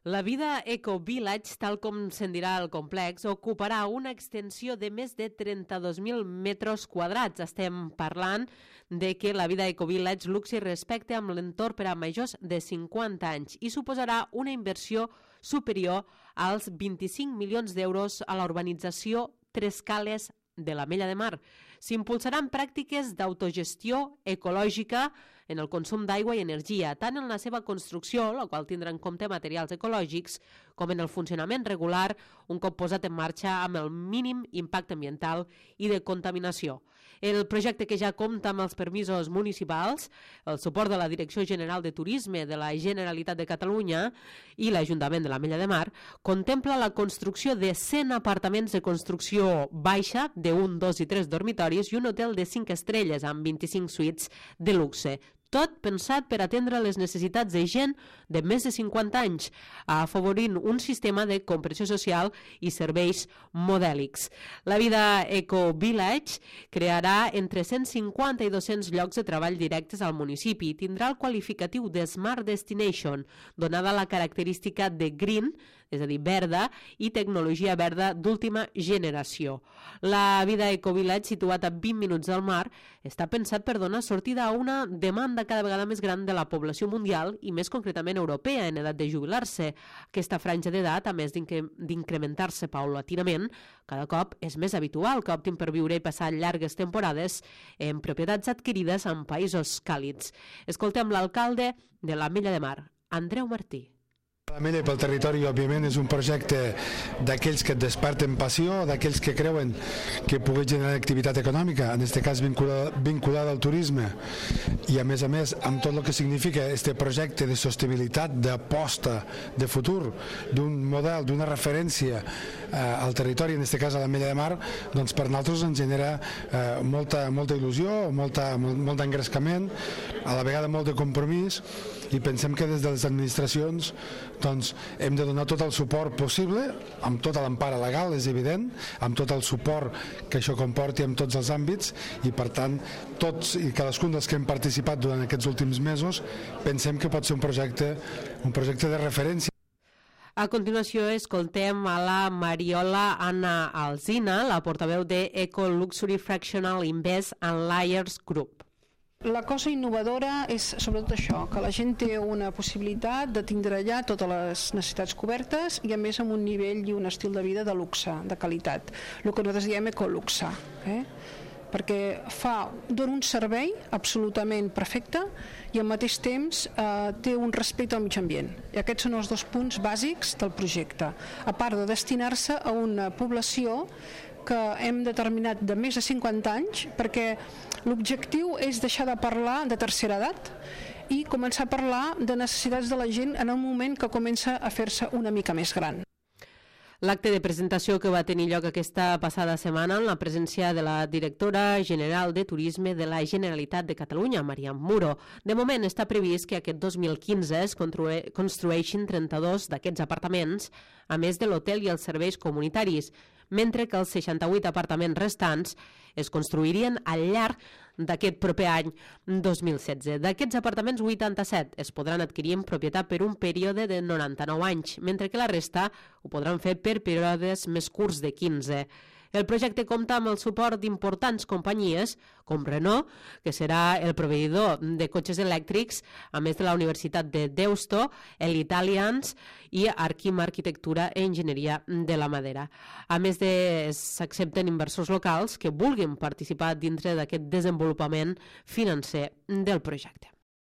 La Vida Eco Village, tal com se'n dirà el complex, ocuparà una extensió de més de 32.000 metres quadrats. Estem parlant de que la Vida Eco Village Luxi respecte amb l'entorn per a majors de 50 anys i suposarà una inversió superior als 25 milions d'euros a la urbanització Tres Cales de l'Ametlla de Mar. S'impulsaran pràctiques d'autogestió ecològica en el consum d'aigua i energia, tant en la seva construcció, la qual tindrà en compte materials ecològics, com en el funcionament regular, un cop posat en marxa amb el mínim impacte ambiental i de contaminació. El projecte, que ja compta amb els permisos municipals, el suport de la Direcció General de Turisme de la Generalitat de Catalunya i l'Ajuntament de l'Ametlla de Mar, contempla la construcció de 100 apartaments de construcció baixa, de 1, 2 i 3 dormitoris, i un hotel de 5 estrelles amb 25 suites de luxe. Tot pensat per atendre les necessitats de gent de més de 50 anys, afavorint un sistema de compressió social i serveis modèlics. La Vida Eco Village crearà entre 150 i 200 llocs de treball directes al municipi i tindrà el qualificatiu de Smart Destination, donada la característica de green, és a dir, verda, i tecnologia verda d'última generació. La Vida Eco Village, situat a 20 minuts del mar, està pensat per donar sortida a una demanda cada vegada més gran de la població mundial i més concretament europea en edat de jubilar-se. Aquesta franja d'edat, a més d'incrementar-se paulatinament, cada cop és més habitual que optin per viure i passar llargues temporades en propietats adquirides en països càlids. Escoltem l'alcalde de l'Ametlla de Mar, Andreu Martí. L'Ametlla pel territori, òbviament, és un projecte d'aquells que et desperten passió, d'aquells que creuen que pugui generar activitat econòmica, en aquest cas vinculada al turisme, i a més, amb tot el que significa este projecte de sostenibilitat, d'aposta, de futur, d'un model, d'una referència al territori, en aquest cas a l'Ametlla de Mar, doncs per nosaltres ens genera molta il·lusió, molt d'engrescament, a la vegada molt de compromís, i pensem que des de les administracions doncs, hem de donar tot el suport possible, amb tota l'empara legal, és evident, amb tot el suport que això comporti en tots els àmbits, i per tant tots i cadascun dels que hem participat durant aquests últims mesos pensem que pot ser un projecte de referència. A continuació escoltem a la Mariola Anna Alsina, la portaveu de Eco Luxury Fractional Invest and Liars Group. La cosa innovadora és sobretot això, que la gent té una possibilitat de tindre allà totes les necessitats cobertes i a més amb un nivell i un estil de vida de luxe, de qualitat, el que nosaltres diem ecoluxe, perquè dona un servei absolutament perfecte i al mateix temps té un respecte al mig ambient. I aquests són els dos punts bàsics del projecte, a part de destinar-se a una població que hem determinat de més de 50 anys, perquè l'objectiu és deixar de parlar de tercera edat i començar a parlar de necessitats de la gent en el moment que comença a fer-se una mica més gran. L'acte de presentació que va tenir lloc aquesta passada setmana en la presència de la directora general de Turisme de la Generalitat de Catalunya, Mariam Muro. De moment està previst que aquest 2015 es construeixin 32 d'aquests apartaments, a més de l'hotel i els serveis comunitaris, mentre que els 68 apartaments restants es construirien al llarg d'aquest proper any 2016. D'aquests apartaments, 87 es podran adquirir en propietat per un període de 99 anys, mentre que la resta ho podran fer per períodes més curts de 15. El projecte compta amb el suport d'importants companyies, com Renault, que serà el proveïdor de cotxes elèctrics, a més de la Universitat de Deusto, l'Italians i Arquim Arquitectura i Enginyeria de la Madera. A més, s'accepten inversors locals que vulguin participar dintre d'aquest desenvolupament financer del projecte.